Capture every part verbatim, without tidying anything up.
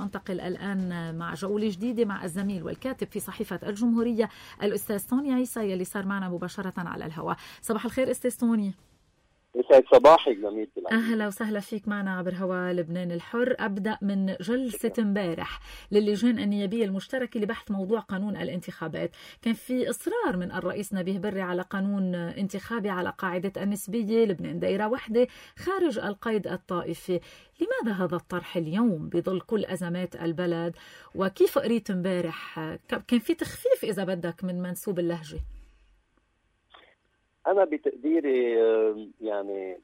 وأنتقل الآن مع جولة جديدة مع الزميل والكاتب في صحيفة الجمهورية الأستاذ توني عيسى يلي صار معنا مباشرة على الهواء. صباح الخير أستاذ توني. يسعد صباحك زميلتي. أهلا وسهلا فيك معنا عبر هواء لبنان الحر. أبدأ من جلسة امبارح للجان النيابية المشتركة لبحث موضوع قانون الانتخابات. كان في إصرار من الرئيس نبيه بري على قانون انتخابي على قاعدة النسبية، لبنان دائرة واحدة خارج القيد الطائفي. لماذا هذا الطرح اليوم بظل كل أزمات البلد؟ وكيف قريت امبارح كان في تخفيف إذا بدك من منسوب اللهجة؟ أنا بتقديري يعني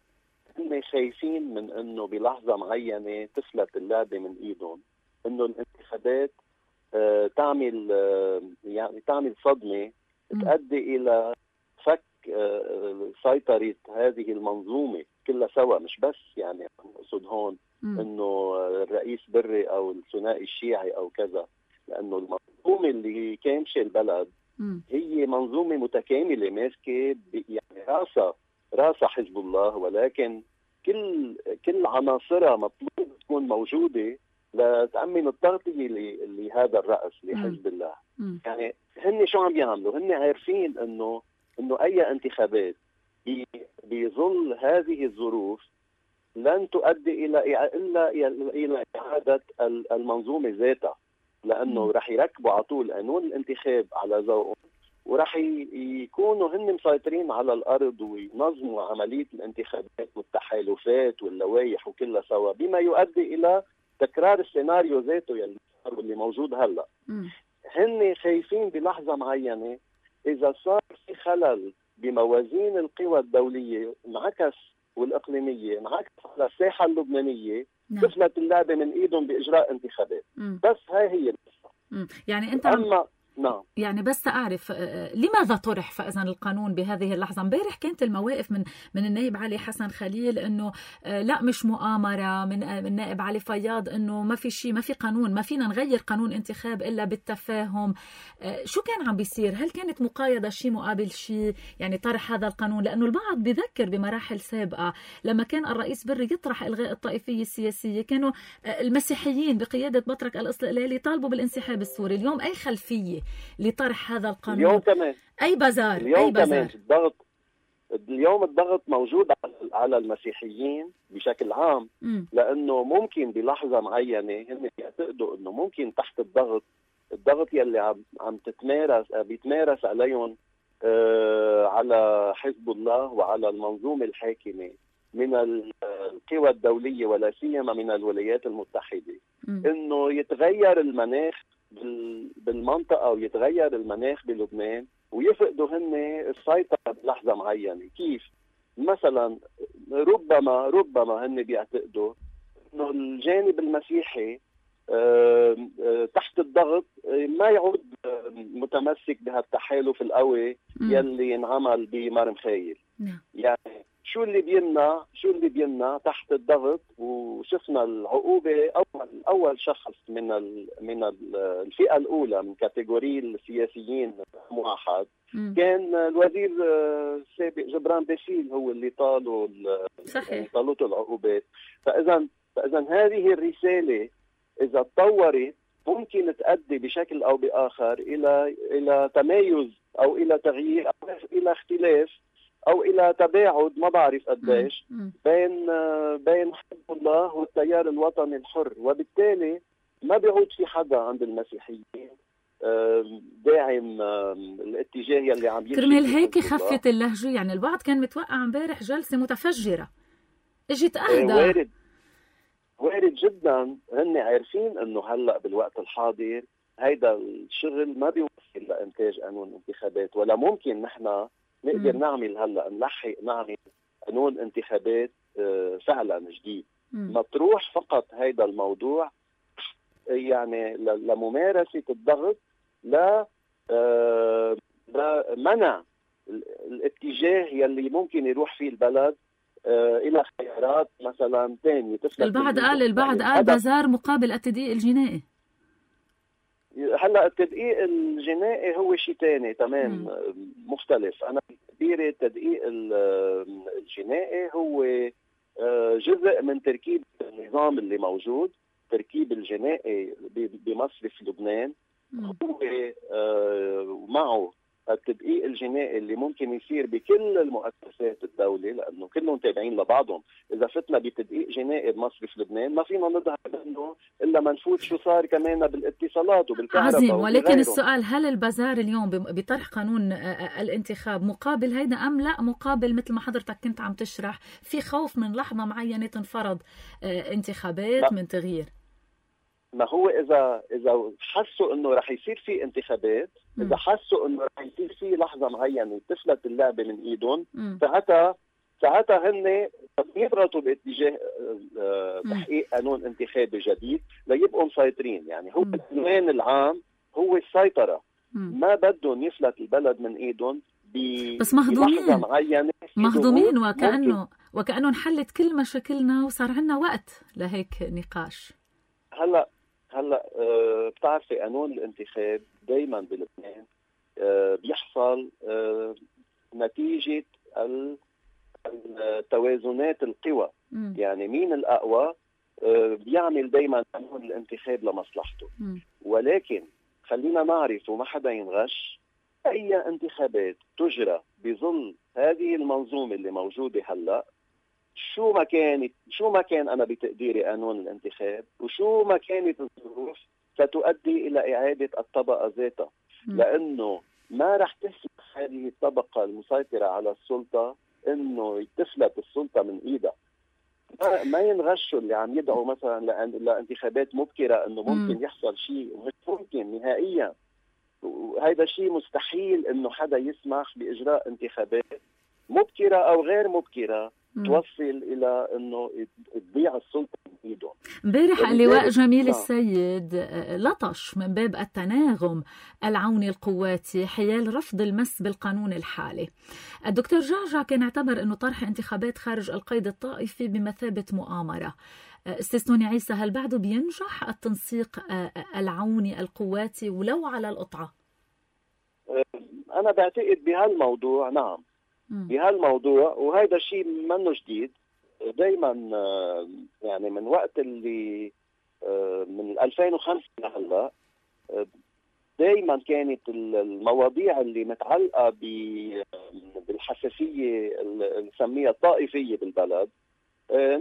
هم خايفين من أنه بلحظة معينة تفلت اللعبة من إيدهم، أنه الانتخابات تعمل يعني تعمل صدمة تؤدي إلى فك سيطرة هذه المنظومة كلها سوا. مش بس يعني أقصد هون أنه الرئيس بري أو الثنائي الشيعي أو كذا، لأنه المنظومة اللي كامشة البلد هي منظومة متكاملة ماسكة يعني راسها راسها حزب الله، ولكن كل كل عناصرها مطلوب تكون موجودة لتأمن التغطية لهذا الرأس لحزب الله. م. يعني هن شو عم يعملوا؟ هن عارفين انه انه اي انتخابات بظل هذه الظروف لن تؤدي الى الا الى اعادة المنظومة ذاتها، لأنه رح يركبوا على طول قانون الانتخاب على ذوقهم، ورح يكونوا هن مسيطرين على الأرض وينظموا عملية الانتخابات والتحالفات واللوائح وكلها سوا، بما يؤدي إلى تكرار السيناريو ذاته يلي صار واللي موجود هلأ. هن خايفين بلحظة معينة إذا صار في خلل بموازين القوى الدولية انعكس والإقليمية انعكس على الساحة اللبنانية، تفلت اللعبة من ايدهم باجراء انتخابات. مم. بس هاي هي القصة. يعني انت أما نعم. يعني بس أعرف لماذا طرح فإذا القانون بهذه اللحظة؟ امبارح كانت المواقف من من النائب علي حسن خليل إنه لا مش مؤامرة، من النائب علي فياض إنه ما في شيء، ما في قانون، ما فينا نغير قانون انتخاب إلا بالتفاهم. شو كان عم بيصير؟ هل كانت مقايضة شيء مقابل شيء؟ يعني طرح هذا القانون، لأنه البعض بذكر بمراحل سابقة لما كان الرئيس بري يطرح إلغاء الطائفية السياسية كانوا المسيحيين بقيادة بطرك الاستقلالي طالبوا بالانسحاب السوري. اليوم أي خلفية لطرح هذا القانون؟ اليوم كمان أي بازار اليوم أي بازار كمان الضغط اليوم الضغط موجود على المسيحيين بشكل عام. م. لأنه ممكن بلحظة معينة هم يعتقدوا أنه ممكن تحت الضغط الضغط يلي عم عم تتمارس بيتمارس عليهم آه على حزب الله وعلى المنظومة الحاكمة من القوى الدولية ولا سيما من الولايات المتحدة، م. إنه يتغير المناخ بالمنطقة ويتغير المناخ بلبنان ويفقدوا هن السيطرة بلحظة معينة. كيف؟ مثلا ربما ربما هن بيعتقدوا انه الجانب المسيحي تحت الضغط ما يعود متمسك بهالتحالف القوي يلي انعمل بمرم خايل. يعني شو اللي بيمنع شو اللي بيمنع تحت الضغط؟ وشفنا العقوبة أول أول شخص من ال من ال الفئة الأولى من كاتيجوري السياسيين واحد كان الوزير السابق جبران باسيل، هو اللي طالوا صحيح طالته العقوبات. فإذا فإذا هذه الرسالة إذا تطورت ممكن تؤدي بشكل أو بآخر إلى إلى تمايز أو إلى تغيير أو إلى اختلاف أو إلى تباعد ما بعرف قديش بين بين حزب الله والتيار الوطني الحر، وبالتالي ما بيعود في حدا عند المسيحيين داعم الاتجاه يلي عم يمشي. كرمال هيك خفت اللهجة. يعني البعض كان متوقع امبارح جلسة متفجرة، اجت اهدى. وارد وارد جدا. هن عارفين انه هلا بالوقت الحاضر هيدا الشغل ما بيوصل لإنتاج قانون انتخابات، ولا ممكن نحن نقدر نعمل هلا نلحق نعمل قانون انتخابات فعلا جديد. مطروح فقط هيدا الموضوع يعني لممارسة الضغط لا لمنع الاتجاه يلي ممكن يروح فيه البلد الى خيارات مثلا ثانيه. البعض قال البعض قال بازار مقابل التدقيق الجنائي. هلا التدقيق الجنائي هو شيء ثاني تمام مختلف. انا بعتبر التدقيق الجنائي هو جزء من تركيب النظام اللي موجود، التركيب الجنائي بمصرف لبنان هو معه التدقيق الجنائي اللي ممكن يصير بكل المؤسسات الدولة، لأنه كلهم تابعين لبعضهم. إذا فتنا بتدقيق جنائي بمصرف لبنان ما فينا نظهر منه إلا ما نفوت شو صار كمان بالاتصالات وبالكهرباء. عظيم. ولكن السؤال، هل البزار اليوم بطرح قانون الانتخاب مقابل هيدا أم لا مقابل مثل ما حضرتك كنت عم تشرح في خوف من لحظة معينة تنفرض انتخابات من تغيير؟ ما هو إذا إذا حسوا إنه رح يصير في انتخابات، إذا حسوا إنه رح يصير في لحظة معينة تفلت اللعبة من إيدهم، ساعتها ساعتها هن يضغطوا باتجاه تحقيق قانون انتخابي جديد ليبقوا مسيطرين. يعني هو العنوان العام هو السيطرة. ما بدهم يفلت البلد من إيدهم بس مهضومين معينة مهضومين وكأنه وكأنه انحلت كل مشاكلنا وصار عنا وقت لهيك نقاش. هلا هلا أه بتعرفي قانون الانتخاب دايما بلبنان أه بيحصل أه نتيجة التوازنات القوى. م. يعني مين الأقوى أه بيعمل دايما قانون الانتخاب لمصلحته. م. ولكن خلينا نعرف وما حدا ينغش، أي انتخابات تجرى بظل هذه المنظومة اللي موجودة هلأ، شو ما كانت شو ما كان أنا بتقديري قانون الانتخاب وشو ما كانت الظروف ستؤدي إلى إعادة الطبقة ذاتها. لأنه ما رح تسمح هذه الطبقة المسيطرة على السلطة إنه تفلت السلطة من إيدها. ما ينغشوا اللي عم يدعوا مثلا لانتخابات مبكرة إنه ممكن يحصل شيء، مش ممكن نهائيا. وهذا شيء مستحيل إنه حدا يسمح بإجراء انتخابات مبكرة أو غير مبكرة توصل إلى أنه تضيع السلطة من إيدهم. امبارح اللواء جميل السيد لطش من باب التناغم العوني القواتي حيال رفض المس بالقانون الحالي. الدكتور جعجع كان اعتبر أنه طرح انتخابات خارج القيد الطائفي بمثابة مؤامرة. أستاذ سوني عيسى، هل بعده بينجح التنسيق العوني القواتي ولو على القطعة؟ أنا بعتقد بهالموضوع نعم، بهالموضوع، وهذا شيء منه جديد. دايما يعني من وقت اللي من ألفين وخمسة لهلا دايما كانت المواضيع اللي متعلقة بالحساسية اللي نسميها الطائفية بالبلد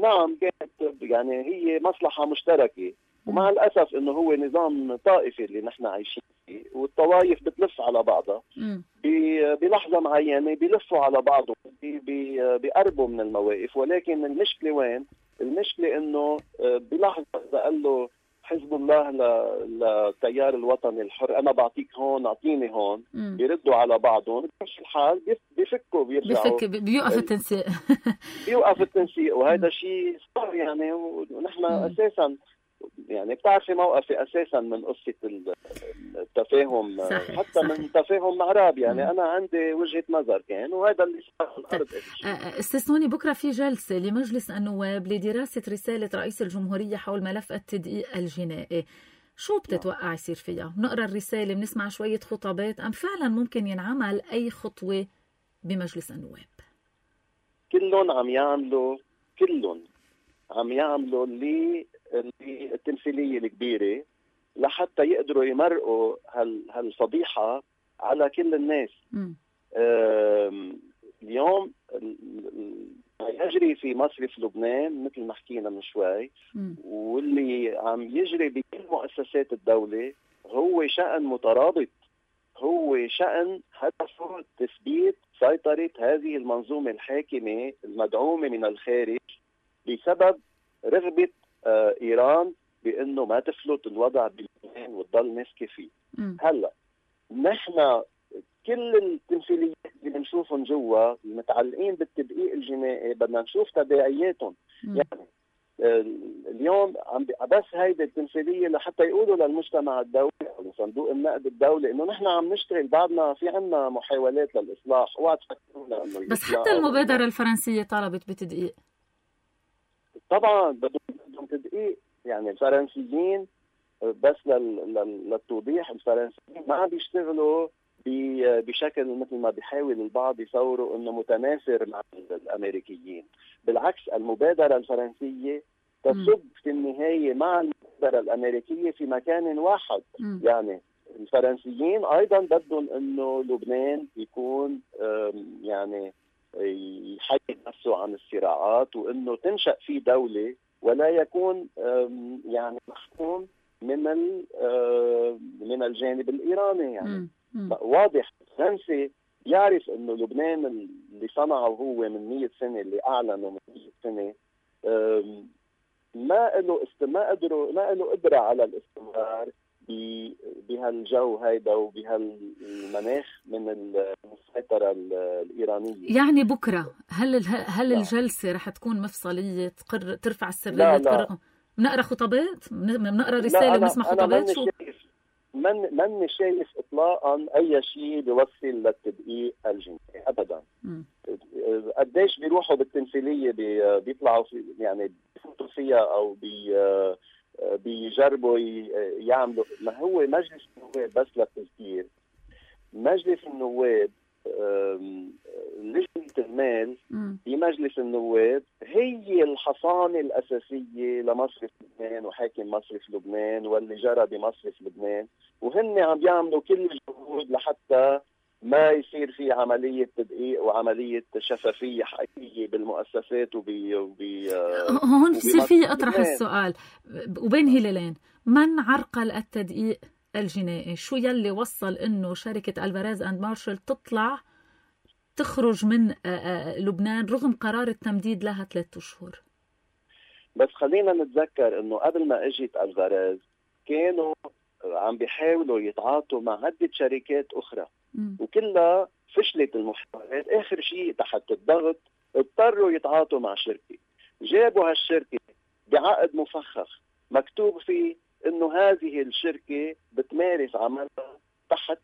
نعم كانت يعني هي مصلحة مشتركة. ومع الأسف إنه هو نظام طائفي اللي نحن عايشين فيه، والطوائف بتلف على بعضها بلحظة معينة، بيلفوا على بعضهم، بيقربوا من المواقف. ولكن المشكلة وين؟ المشكلة إنه بلحظة إذا قال له حزب الله للتيار الوطني الحر أنا بعطيك هون أعطيني هون، مم. بيردوا على بعضهم. بمشي الحال بيفكوا بيرجعوا، بيفك بيوقف التنسيق بيوقف التنسيق. وهذا شيء صار يعني. ونحن أساسا يعني بتعرفي موقفي أساسا من قصة التفاهم، صحيح حتى صحيح. من تفاهم معراب يعني. م. أنا عندي وجهة نظر كان، وهذا اللي صار على الأرض. أستاذ سوني، بكرة في جلسة لمجلس النواب لدراسة رسالة رئيس الجمهورية حول ملف التدقيق الجنائي. شو بتتوقع يصير فيها؟ نقرأ الرسالة، بنسمع شوية خطابات، أم فعلا ممكن ينعمل أي خطوة بمجلس النواب؟ كلهم عم يعملوا كلهم عم يعملوا اللي التمثيلية الكبيرة لحتى يقدروا يمرقوا هال هالفضيحة على كل الناس. اليوم ما يجري في مصرف لبنان مثل ما حكينا من شوي، م. واللي عم يجري بكل مؤسسات الدولة هو شأن مترابط، هو شأن هدفه تثبيت سيطرة هذه المنظومة الحاكمة المدعومة من الخارج بسبب رغبة آه إيران بأنه ما تفلت الوضع بلبنان وتضل ماسكة فيه. م. هلا نحن كل التمثيليات اللي بنشوفهم جوا المتعلقين بالتدقيق الجنائي بدنا نشوف تبعياتهم. م. يعني آه اليوم عم بس هيدي التمثيلية لحتى يقولوا للمجتمع الدولي أو لصندوق النقد الدولي إنه نحن عم نشتغل، بعدنا في عنا محاولات للإصلاح. اوعى تفكرونا إنه بس حتى المبادرة الفرنسية طلبت بتدقيق. طبعا بدهم تدقيق. يعني الفرنسيين بس للتوضيح، الفرنسيين ما عم بيشتغلوا بشكل مثل ما بيحاول البعض يصوروا انه متنافر مع الامريكيين. بالعكس، المبادرة الفرنسية تصب في النهاية مع السيطرة الأمريكية في مكان واحد. م. يعني الفرنسيين أيضا بدهم أنه لبنان يكون يعني يحيد نفسه عن الصراعات، وأنه تنشأ فيه دولة ولا يكون يعني محكوم من من الجانب الإيراني. يعني م. م. واضح الفرنسي يعرف أنه لبنان اللي صنعه هو من مية سنة، اللي أعلنه من مية سنة، ما له ما قدروا ما له قدرة على الاستمرار بهالجو هيدا وبهالمناخ من السيطرة الإيرانية. يعني بكرة هل هل لا. الجلسة رح تكون مفصلية تقر ترفع السرية؟ تقر... بنقرا خطابات، بنقرا رسالة، بنسمع خطابات. شو من من شايف اطلاقا اي شيء بيوصل للتدقيق الجنائي ابدا. قديش بيروحوا بالتمثيليه بي بيطلعوا في يعني بيفوتوا فيها او بي بيجربوا يعملوا. ما هو مجلس النواب بس للتذكير، مجلس النواب لجنة المال بمجلس النواب هي الحصانة الأساسية لمصرف لبنان وحاكم مصرف لبنان واللي جرى بمصرف لبنان، وهن عم بيعملوا كل الجهود لحتى ما يصير في عملية تدقيق وعملية شفافية حقيقية بالمؤسسات وبي وبي هون بصير في أطرح السؤال وبين هلالين: من عرقل التدقيق الجنائي؟ شو يلي وصل إنه شركة ألفاريز أند مارشال تطلع تخرج من لبنان رغم قرار التمديد لها ثلاثة أشهر؟ بس خلينا نتذكر إنه قبل ما اجت ألفاريز كانوا عم بيحاولوا يتعاطوا مع عدة شركات أخرى م. وكلها فشلت المحاولات. آخر شيء تحت الضغط اضطروا يتعاطوا مع شركة، جابوا هالشركة بعقد مفخخ مكتوب فيه إنه هذه الشركة بتمارس عملها تحت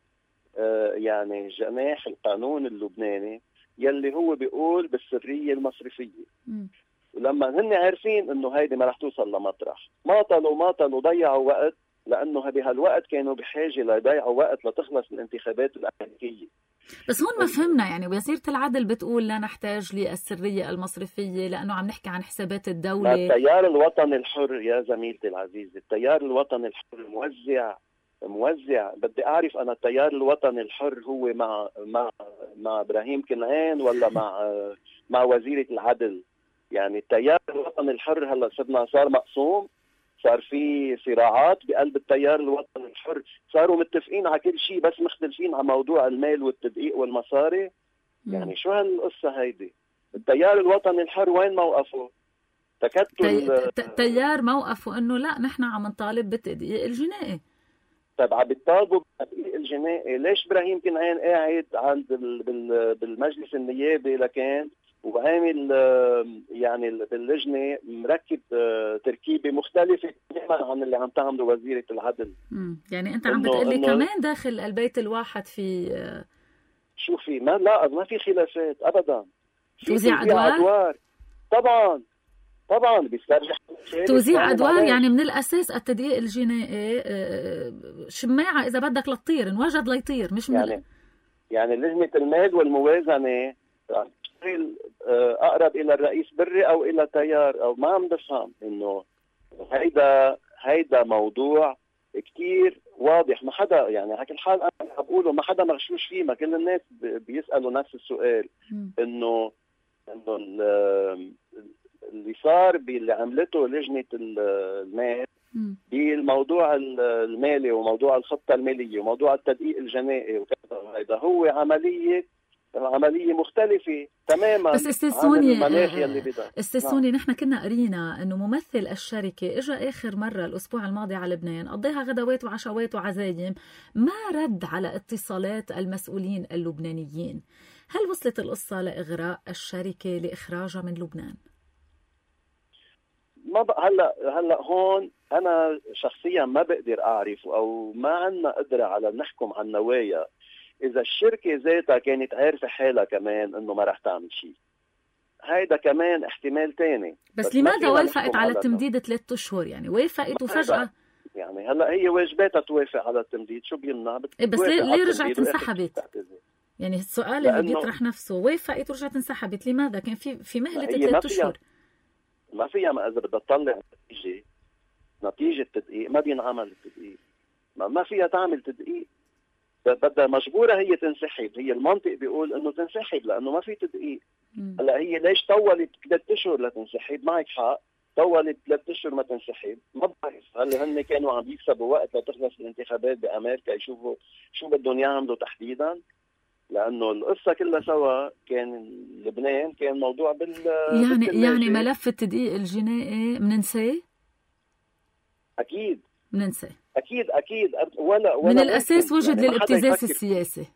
آه يعني جناح القانون اللبناني يلي هو بيقول بالسرية المصرفية. م. ولما هن عارفين إنه هيدي ما رح توصل لمطرح، ماطلوا ماطلوا ضيعوا وقت، لأنه بهالوقت كانوا بحاجة ليضيعوا وقت لتخلص الانتخابات الأمريكية. بس هون ما فهمنا يعني، وزيرة العدل بتقول لا نحتاج للسرية المصرفية لأنه عم نحكي عن حسابات الدولة. التيار الوطني الحر يا زميلتي العزيزة، التيار الوطني الحر موزع موزع بدي أعرف أنا التيار الوطني الحر هو مع مع مع إبراهيم كنعان ولا مع مع وزيرة العدل؟ يعني التيار الوطني الحر هلا صرنا صار مقسوم، صار في صراعات بقلب التيار الوطني الحر، صاروا متفقين على كل شيء بس مختلفين على موضوع المال والتدقيق والمصاري. مم. يعني شو هالقصة هيدي؟ التيار الوطني الحر وين موقفه؟ تكتل التيار موقفه انه لا نحن عم نطالب بالتدقيق الجنائي. طيب عم بيطالبوا بالتدقيق الجنائي، ليش ابراهيم كنعان قاعد عند بالمجلس النيابي لكان وعامل يعني باللجنة مركب تركيبة مختلفة تماما عن اللي عم تعمله وزيرة العدل؟ مم. يعني أنت عم بتقلي كمان داخل البيت الواحد في شو في؟ ما لا ما في خلافات أبدا. توزيع أدوار؟ أدوار طبعا طبعا بيسترجع توزيع أدوار. يعني من الأساس التدقيق الجنائي شماعة إذا بدك للطير انوجد ليطير، مش من يعني يعني لجنة المال والموازنة أقرب إلى الرئيس بري أو إلى تيار أو ما عم بفهم إنه هيدا هيدا موضوع كتير واضح. ما حدا يعني على كل حال أنا بقوله ما حدا مغشوش فيه، ما كل الناس بيسألوا نفس السؤال إنه إنه اللي صار باللي عملته لجنة المال بالموضوع المالي وموضوع الخطة المالية وموضوع التدقيق الجنائي وكذا، هيدا هو عملية عملية مختلفة تماما. بس استسوني استسوني نحن كنا قرينا انه ممثل الشركة اجى اخر مرة الاسبوع الماضي على لبنان، قضيها غدوات وعشوات وعزايم، ما رد على اتصالات المسؤولين اللبنانيين. هل وصلت القصة لإغراء الشركة لإخراجها من لبنان؟ ما بقى هلا هلا هون انا شخصيا ما بقدر اعرف او ما عندنا قدرة على نحكم عن نوايا. إذا الشركة ذاتها كانت عارفة حالها كمان إنه ما رح تعمل شيء، هيدا كمان احتمال تاني. بس, بس لماذا وافقت على التمديد ثلاثة أشهر؟ يعني وافقت وفجأة يعني هلا هي واجباتها توافق على التمديد، شو بيمنع؟ بس ليه, ليه رجعت انسحبت؟ يعني السؤال اللي بيطرح نفسه، وافقت ورجعت انسحبت لماذا؟ كان في في مهلة ثلاثة أشهر. ما فيها ما إذا بدها تطلع نتيجة نتيجة تدقيق ما بينعمل التدقيق. ما, ما فيها تعمل تدقيق، بدها مجبورة هي تنسحب. هي المنطق بيقول انه تنسحب لانه ما في تدقيق. هلا هي ليش طولت ثلاث اشهر لتنسحب؟ معك حق، طولت ثلاث اشهر ما تنسحب. ما بعرف هل هن كانوا عم يكسبوا وقت لتخلص الانتخابات بامريكا يشوفوا شو بدهم يعملوا تحديدا؟ لانه القصه كلها سوا كان لبنان كان موضوع بال يعني يعني ملف التدقيق الجنائي بننساه؟ اكيد بننساه اكيد اكيد ولا, ولا من الاساس وجد يعني للابتزاز السياسي.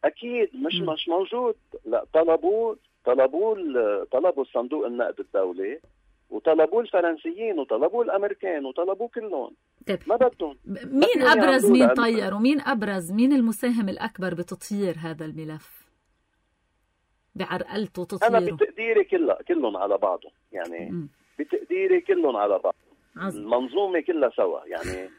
اكيد مش م. مش موجود. لا طلبوه طلبوه طلبوا الصندوق النقد الدولي وطلبوه الفرنسيين وطلبوه الامريكان وطلبوه كلهم. طيب. ما بدهم. مين ابرز مين طير ومين ابرز مين المساهم الاكبر بتطيير هذا الملف بعرقلته وتطييره؟ انا بتقديري كلها كلهم على بعضهم يعني م. بتقديري كلهم على بعض. عزم. المنظومه كلها سوا يعني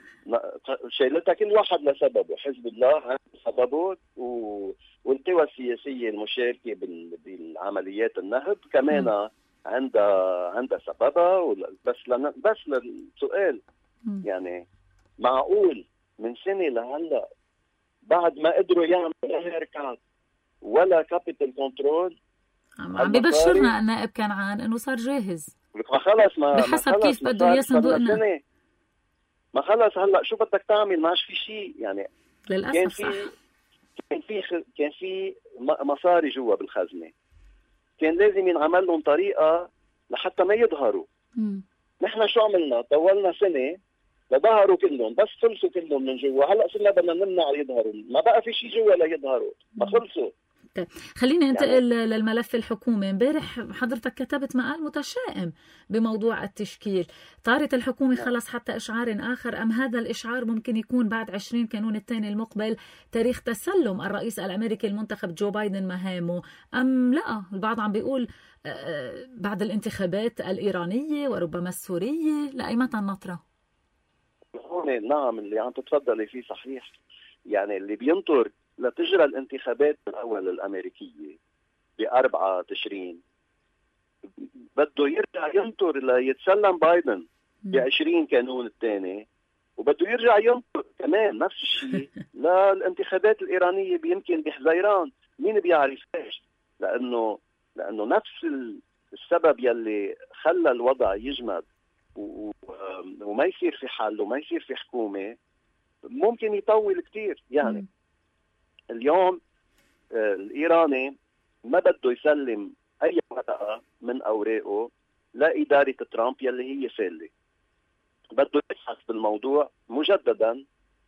شايلتها كل واحد لسببه. حزب الله عنده سببه و... والقوى السياسيه المشاركه بال... بالعمليات النهب كمان م. عندها عندها سببها. بس لن... بس للسؤال م. يعني معقول من سنه لهلا بعد ما قدروا يعملوا لا هيركات ولا كابيتال كنترول عم ببشرنا النائب كنعان انه صار جاهز. ما خلص ما بحسب ما خلص كيف بده اياه صندوق النقد. ما خلص هلا شو بدك تعمل؟ ماش في شيء يعني. للاسف كان صح. في كان في كان في مصاري جوا بالخزنه، كان لازم ينعمل لهم طريقه لحتى ما يظهروا. امم نحن شو عملنا؟ طولنا سنه لظهروا كلهم، بس خلصوا كلهم من جوا. هلا صرنا بدنا نمنع يظهروا، ما بقى في شيء جوا ليظهروا، ما خلصوا. طيب خليني انتقل يعني للملف الحكومي. امبارح حضرتك كتبت مقال متشائم بموضوع التشكيل. طارت الحكومة خلص حتى إشعار آخر، أم هذا الإشعار ممكن يكون بعد عشرين كانون الثاني المقبل تاريخ تسلم الرئيس الأمريكي المنتخب جو بايدن مهامه، أم لا البعض عم بيقول بعد الانتخابات الإيرانية وربما السورية؟ لأي متى النطرة؟ نعم اللي عم تتفضلي فيه صحيح. يعني اللي بينطر لتجرى الانتخابات الأول الأمريكية بأربعة تشرين بده يرجع ينطر ليتسلم بايدن بعشرين كانون الثاني، وبده يرجع ينطر كمان نفس الشيء للانتخابات الإيرانية يمكن بحزيران. مين بيعرف ليش؟ لأنه لأنه نفس السبب يلي خلى الوضع يجمد وما يصير في حل وما يصير في حكومة ممكن يطول كتير. يعني اليوم الإيراني ما بده يسلم أي ورقة من أوراقه لإدارة ترامب يلي هي فالة، بده يبحث بالموضوع مجددا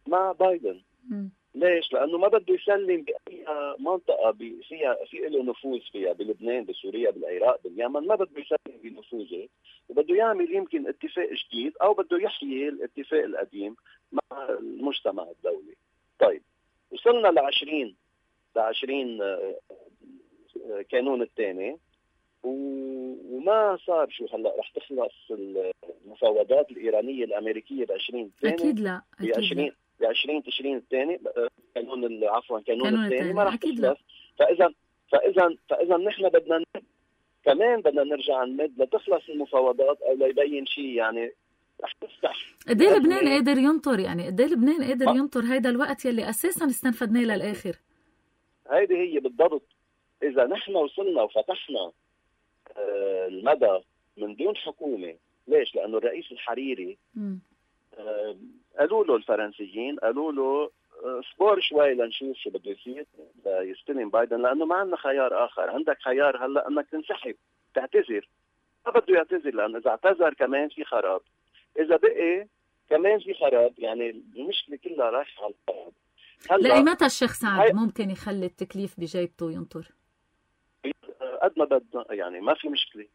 مع بايدن. م. ليش؟ لأنه ما بده يسلم بأي منطقة فيها في له نفوذ فيها، بلبنان بسوريا بالعراق باليمن، ما بده يسلم بنفوذه، وبده يعمل يمكن اتفاق جديد أو بده يحيي الاتفاق القديم مع المجتمع الدولي. طيب وصلنا لعشرين لعشرين كانون الثاني وما صار. شو هلا رح تخلص المفاوضات الإيرانية الأمريكية بعشرين الثاني؟ أكيد لا بعشرين بعشرين تشرين الثاني كانون عفوا كانون, كانون الثاني ما رح تخلص. لا. فإذا فإذا فإذا نحن بدنا نمد كمان بدنا نرجع نمد لتخلص المفاوضات أو ليبين شيء. يعني رح تفتح قد ايه لبنان قادر ينطر؟ يعني قد ايه لبنان قادر ينطر هيدا الوقت يلي أساسا استنفدناه للآخر؟ هيدي هي بالضبط. إذا نحن وصلنا وفتحنا المدى من دون حكومة. ليش؟ لأنه الرئيس الحريري آه قالوا له الفرنسيين قالوا له اصبر شوي لنشوف شو بده يصير يستلم بايدن، لأنه ما عندنا خيار آخر. عندك خيار هلا أنك تنسحب تعتذر. ما بده يعتذر لأنه إذا اعتذر كمان في خراب، إذا بقي كمان في خراب. يعني المشكلة كلها رايحة على الخراب. لأي متى الشيخ سعد ممكن يخلي التكليف بجيبته وينطر؟ قد ما بدنا يعني ما في مشكلة.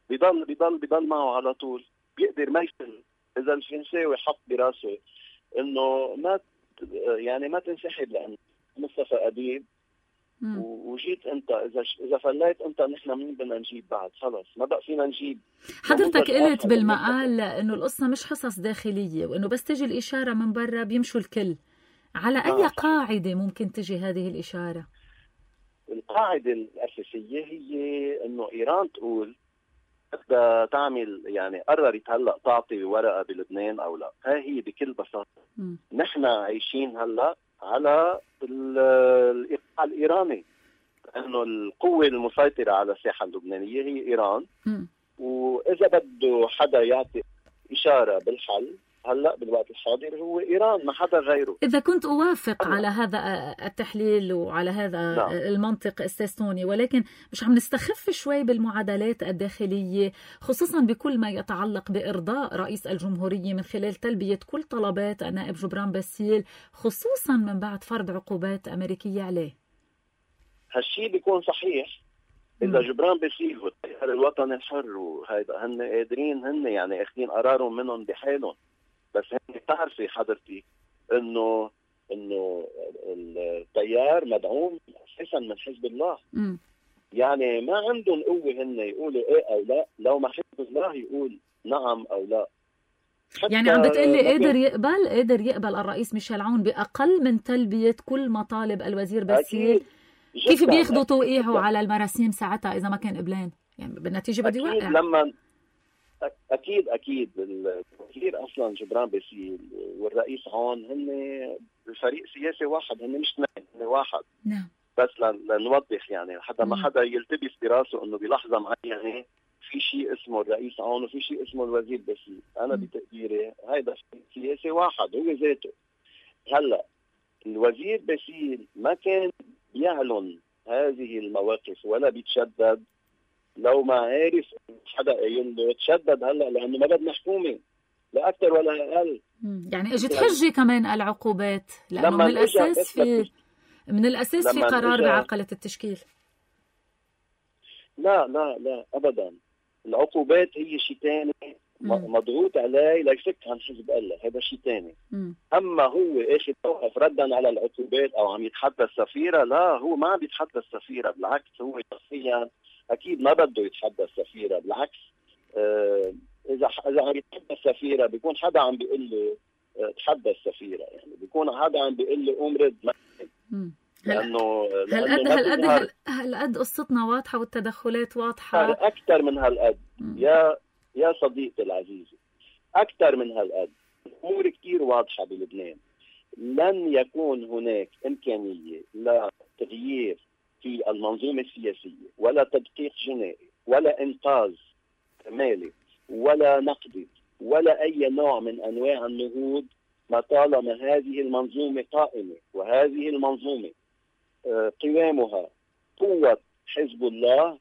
بيضل بيضل بيضل معه على طول. بيقدر ما يسلم. إذا الفرنساوي حط براسه إنه ما يعني ما تنسحب لأن مصطفى أديب وجيت أنت، إذا إذا فليت أنت نحن مين بدنا نجيب بعد؟ خلص ما بقى فينا نجيب. حضرتك قلت بالمقال إنه القصة مش حصص داخلية وإنه بس تجي الإشارة من برا بيمشوا الكل. على أي آه. قاعدة ممكن تجي هذه الإشارة؟ القاعدة الأساسية هي إنه إيران تقول بدها تعمل يعني قررت هلا تعطي ورقه بلبنان او لا. هاي هي بكل بساطه. نحن عايشين هلا على الايقاع الايراني، لانه القوه المسيطره على الساحه اللبنانيه هي ايران. م. واذا بده حدا يعطي اشاره بالحل هلا بالوقت الحاضر هو ايران، ما حدا غيره. اذا كنت اوافق أنا. على هذا التحليل وعلى هذا نعم. المنطق استاذ توني، ولكن مش عم نستخف شوي بالمعادلات الداخليه، خصوصا بكل ما يتعلق بارضاء رئيس الجمهوريه من خلال تلبيه كل طلبات النائب جبران باسيل، خصوصا من بعد فرض عقوبات امريكيه عليه. هالشيء بيكون صحيح اذا جبران باسيل والتيار الوطني الحر وهيدا هن قادرين، هن يعني اخذين قرارهم منهم بحالهم. بس هن بتعرفي حضرتي انه انه التيار مدعوم اساسا من حزب الله. م. يعني ما عندهم قوه هن يقولوا ايه او لا، لو ما حزب الله يقول نعم او لا. يعني عم بتقلي قادر يقبل قادر يقبل الرئيس ميشيل عون باقل من تلبيه كل مطالب الوزير باسيل؟ كيف بياخذوا توقيعه على المراسيم ساعتها اذا ما كان قبلان؟ يعني بالنتيجه بده يوقع. لما اكيد اكيد الوزير اصلا جبران باسيل والرئيس عون هن فريق سياسي واحد، هن مش اثنين، هن واحد. نعم. بس لنوضح يعني حتى ما حدا يلتبس براسه انه بلحظه معينه في شيء اسمه الرئيس عون وفي شيء اسمه الوزير باسيل. انا م. بتقديري هيدا سياسي واحد هو ذاته. هلا الوزير باسيل ما كان يعلن هذه المواقف ولا بيتشدد لو ما عارف حدا قايل له تشدد هلا، لانه ما بدنا حكومه لا اكثر ولا اقل. يعني اجت حجه كمان العقوبات، لانه من الاساس في من الاساس في قرار بعرقله التشكيل. لا لا لا ابدا، العقوبات هي شيء ثاني مضغوط عليه ليفك عن حزب الله، هذا شيء ثاني. اما هو ايش يتوقف ردا على العقوبات او عم يتحدى السفيره، لا هو ما عم يتحدى السفيره، بالعكس هو شخصيا اكيد ما بده يتحدى السفيره، بالعكس آه اذا اذا عم يتحدى السفيره بيكون حدا عم بيقول له آه تحدى السفيره، يعني بيكون حدا عم بيقول له قوم رد. لانه هالقد هالقد هالقد قصتنا واضحه والتدخلات واضحه اكثر من هالقد. يا يا صديقتي العزيزه، اكثر من هالقد. الامور كثير واضحه بلبنان. لن يكون هناك امكانيه لتغيير في المنظومة السياسية ولا تدقيق جنائي ولا إنقاذ مالي ولا نقدي ولا أي نوع من أنواع النهوض ما طالما هذه المنظومة قائمة. وهذه المنظومة قوامها قوة حزب الله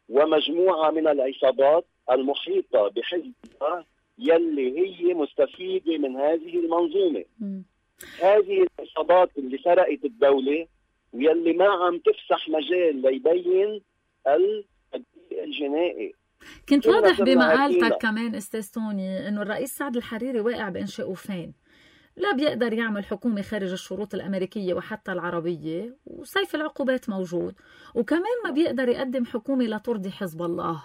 ومجموعة من العصابات المحيطة بحزب الله يلي هي مستفيدة من هذه المنظومة. م. هذه العصابات اللي سرقت الدولة ويلي ما عم تفسح مجال ليبين الجنائي. كنت واضح بمقالتك كمان استاذ توني انه الرئيس سعد الحريري واقع بانشاء وفين، لا بيقدر يعمل حكومة خارج الشروط الأمريكية وحتى العربية، وسيف العقوبات موجود، وكمان ما بيقدر يقدم حكومة لترضي حزب الله.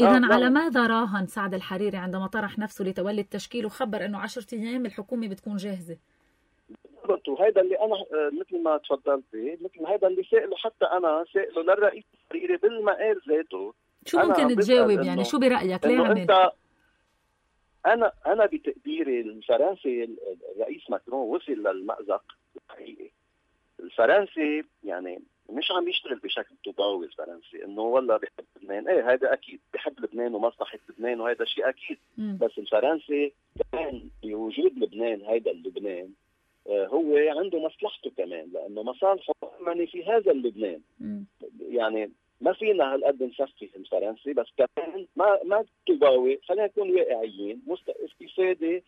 إذن آه على ماذا راهن سعد الحريري عندما طرح نفسه لتولي التشكيل وخبر انه عشرة ايام الحكومة بتكون جاهزة؟ وهذا اللي انا مثل ما تفضلتي، مثل هذا اللي سائله حتى انا سائله للرئيس الحريري بالمقال ذاته. شو ممكن تجاوب يعني؟ شو برايك ليه عمل؟ انا انا بتقديري الفرنسي الرئيس ماكرون وصل للمأزق الحقيقي. الفرنسي يعني مش عم يشتغل بشكل طوباوي الفرنسي انه والله بحب لبنان، ايه هذا اكيد بحب لبنان ومصلحه لبنان وهذا شيء اكيد. م. بس الفرنسي كمان بوجود لبنان، هيدا اللبنان آه هو عنده مصلحته كمان، لانه مصالحه معني في هذا اللبنان. م. يعني ما فينا هالقد نسفه الفرنسي، بس كمان ما ما طوباوي، خلينا نكون واقعيين. استفاده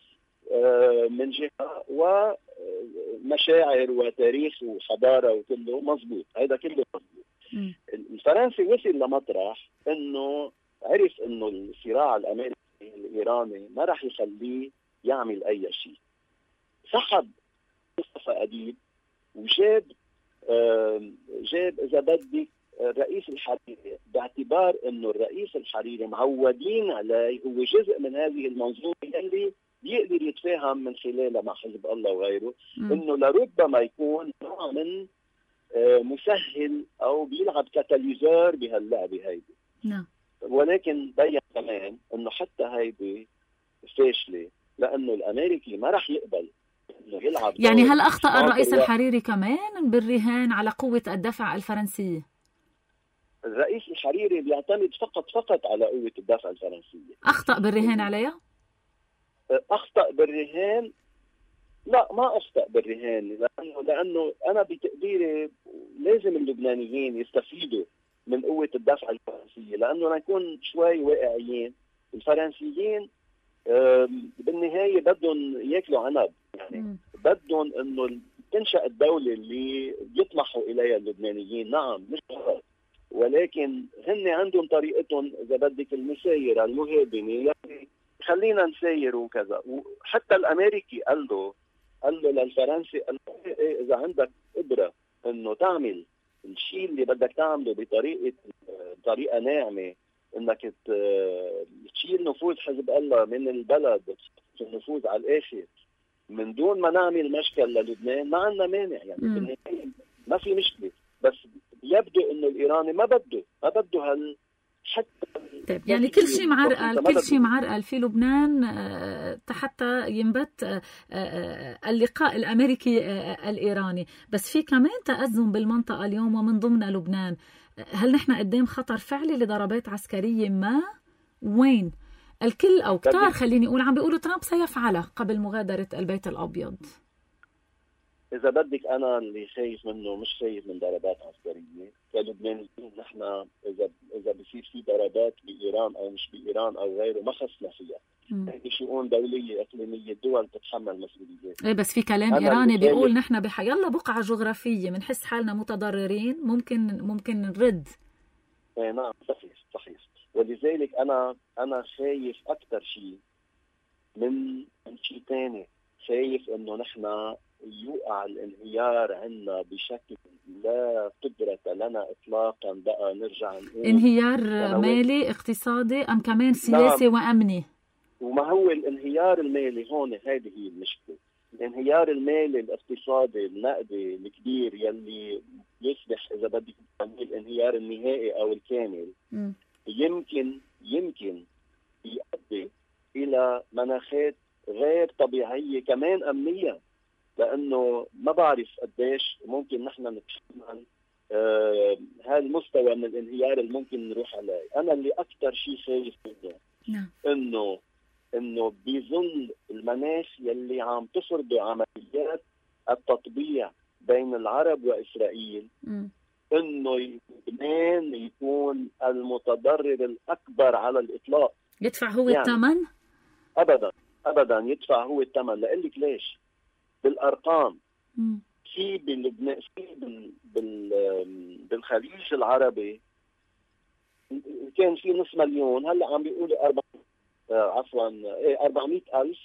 آه من جهه ومشاعر وتاريخ وحضاره وكله مزبوط، هذا كله مزبوط. الفرنسي وصل لمطرح انه عرف انه الصراع الامريكي الايراني ما راح يخليه يعمل اي شيء. سحب مصطفى أديب وجاب آه جاب اذا بدك الرئيس الحريري، باعتبار انه الرئيس الحريري معودين عليه هو جزء من هذه المنظومه اللي بيقدر يتفاهم من خلالها مع حزب الله وغيره، انه لربما يكون نوع من مسهل او بيلعب كاتاليزور بهاللعبه هيدي. نعم. ولكن بين كمان انه حتى هيدي فاشله، لانه الامريكي ما راح يقبل انه يلعب. يعني هل اخطا الرئيس الحريري كمان بالرهان على قوه الدفع الفرنسيه؟ الرئيس الحريري بيعتمد فقط فقط على قوه الدفع الفرنسيه. اخطا بالرهان عليها؟ اخطا بالرهان؟ لا، ما اخطا بالرهان، لانه لانه انا بتقديري لازم اللبنانيين يستفيدوا من قوه الدفع الفرنسيه، لانه نكون شوي واقعيين. الفرنسيين بالنهايه بدهم ياكلوا عنب، يعني بدهم انه تنشأ الدوله اللي يطمحوا اليها اللبنانيين. نعم مش غلط، ولكن هن عندهم طريقتهم اذا بدك المسايره المهادنه، يعني خلينا نساير وكذا. وحتى الامريكي قال له قال له للفرنسي، قال له اذا عندك قدره انه تعمل الشيء اللي بدك تعمله بطريقه بطريقه ناعمه، انك تشيل نفوذ حزب الله من البلد، النفوذ على الاخر من دون ما نعمل مشكل للبنان، ما عندنا مانع. يعني بالنهايه ما في مشكله، بس يبدو انه الايراني ما بده ما بده هال حتى. طيب يعني كل شيء معرقل، كل شيء معرقل في لبنان حتى ينبت اللقاء الامريكي الايراني، بس في كمان تأزم بالمنطقه اليوم ومن ضمن لبنان. هل نحن قدام خطر فعلي لضربات عسكريه ما؟ وين؟ الكل او كتار خليني اقول عم بيقولوا ترامب سيفعلها قبل مغادره البيت الابيض. إذا بدك أنا اللي خايف منه مش خايف من ضربات عسكرية كلبنانيين. نحن إذا إذا بصير في ضربات بإيران أو مش بإيران أو غيره ما خصنا فيها. هذه شؤون دولية إقليمية، الدول تتحمل مسؤوليات. إيه بس في كلام إيراني بيقول نحن بحيالله بقعة جغرافية بنحس حالنا متضررين ممكن ممكن نرد. إيه نعم صحيح صحيح. ولذلك أنا أنا خايف أكثر شيء من من شيء ثاني، خايف إنه نحن يوقع الانهيار عنا بشكل لا قدرة لنا إطلاقا بقى نرجع نقول. انهيار مالي اقتصادي أم كمان سياسي؟ نعم. وأمني. وما هو الانهيار المالي هون؟ هذه هي المشكلة. الانهيار المالي الاقتصادي النقدي الكبير يلي يصبح إذا بدك الانهيار النهائي أو الكامل م. يمكن يمكن يؤدي إلى مناخات غير طبيعية كمان أمنيا، لأنه ما بعرف قديش ممكن نحن نتحمل آه هالمستوى من الانهيار اللي ممكن نروح عليه. أنا اللي أكثر شيء خايف منه نعم. إنه إنه بظل المناخ يلي عم تفرضه عمليات التطبيع بين العرب وإسرائيل م. إنه لبنان يكون المتضرر الأكبر على الإطلاق. يدفع هو يعني الثمن؟ أبدا أبدا يدفع هو الثمن. لقلك ليش؟ بالارقام مم. في بلبنان في بال بال بالخليج العربي كان في نص مليون، هلا عم بيقولوا أربع آه عفوا ايه أربعمئة ألف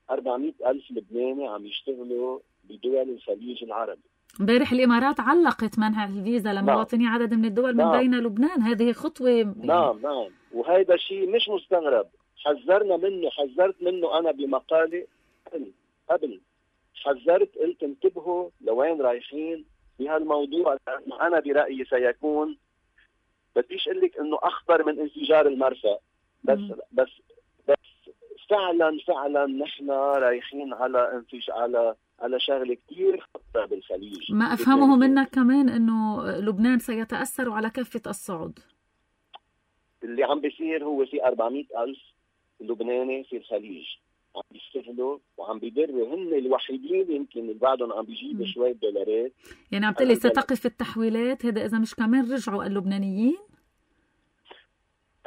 أربعمئة ألف لبناني عم يشتغلوا بدول الخليج العربي. امبارح الامارات علقت منع الفيزا لمواطني نعم. عدد من الدول من نعم. بين لبنان. هذه خطوه. نعم نعم وهذا شيء مش مستغرب، حذرنا منه، حذرت منه انا بمقالي قبل حذرت قلت انتبهوا لوين رايحين بهالموضوع، لأنه أنا برأيي سيكون بديش أقول لك إنه أخطر من انفجار المرفأ، بس م. بس بس فعلا فعلا نحن رايحين على انفجار على على شغله كثير خطره بالخليج. ما أفهمه منك كمان إنه لبنان سيتأثر على كافة الصعود. اللي عم بيصير هو في أربعمئة ألف لبناني في الخليج عم بيشتغلوا وعم بيدروا، هن الوحيدين يمكن اللي بعدهم عم بيجيبوا شوية دولارات. يعني عم تقلي ستقف التحويلات، هذا إذا مش كمان رجعوا اللبنانيين؟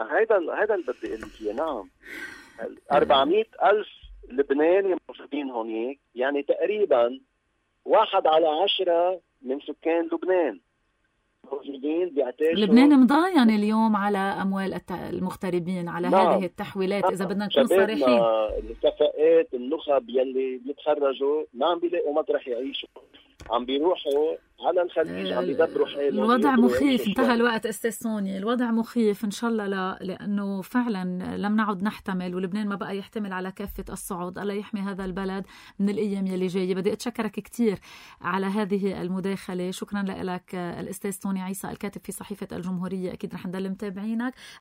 هذا هذا اللي بدي أقول فيه. نعم أربعمئة ألف لبناني موجودين هونيك، يعني تقريبا واحد على عشرة من سكان لبنان موجودين بيعتاشوا. لبنان مضاين اليوم على أموال المغتربين، على نعم. هذه التحويلات. إذا بدنا نكون صريحين، الكفاءات النخب يلي بيتخرجوا ما عم بيلاقوا مطرح يعيشوا، عم بيروحوا على الخليج، عم بيدبروا حالهم. الوضع مخيف. انتهى الوقت أستاذ سوني، الوضع مخيف. إن شاء الله لا، لأنه فعلا لم نعد نحتمل، ولبنان ما بقى يحتمل على كافة الصعود. الله يحمي هذا البلد من الأيام يلي جاية. بدي أتشكرك كتير على هذه المداخلة. شكرا لك الأستاذ سوني عيسى الكاتب في صحيفة الجمهورية. أكيد رح نضل متابعينك.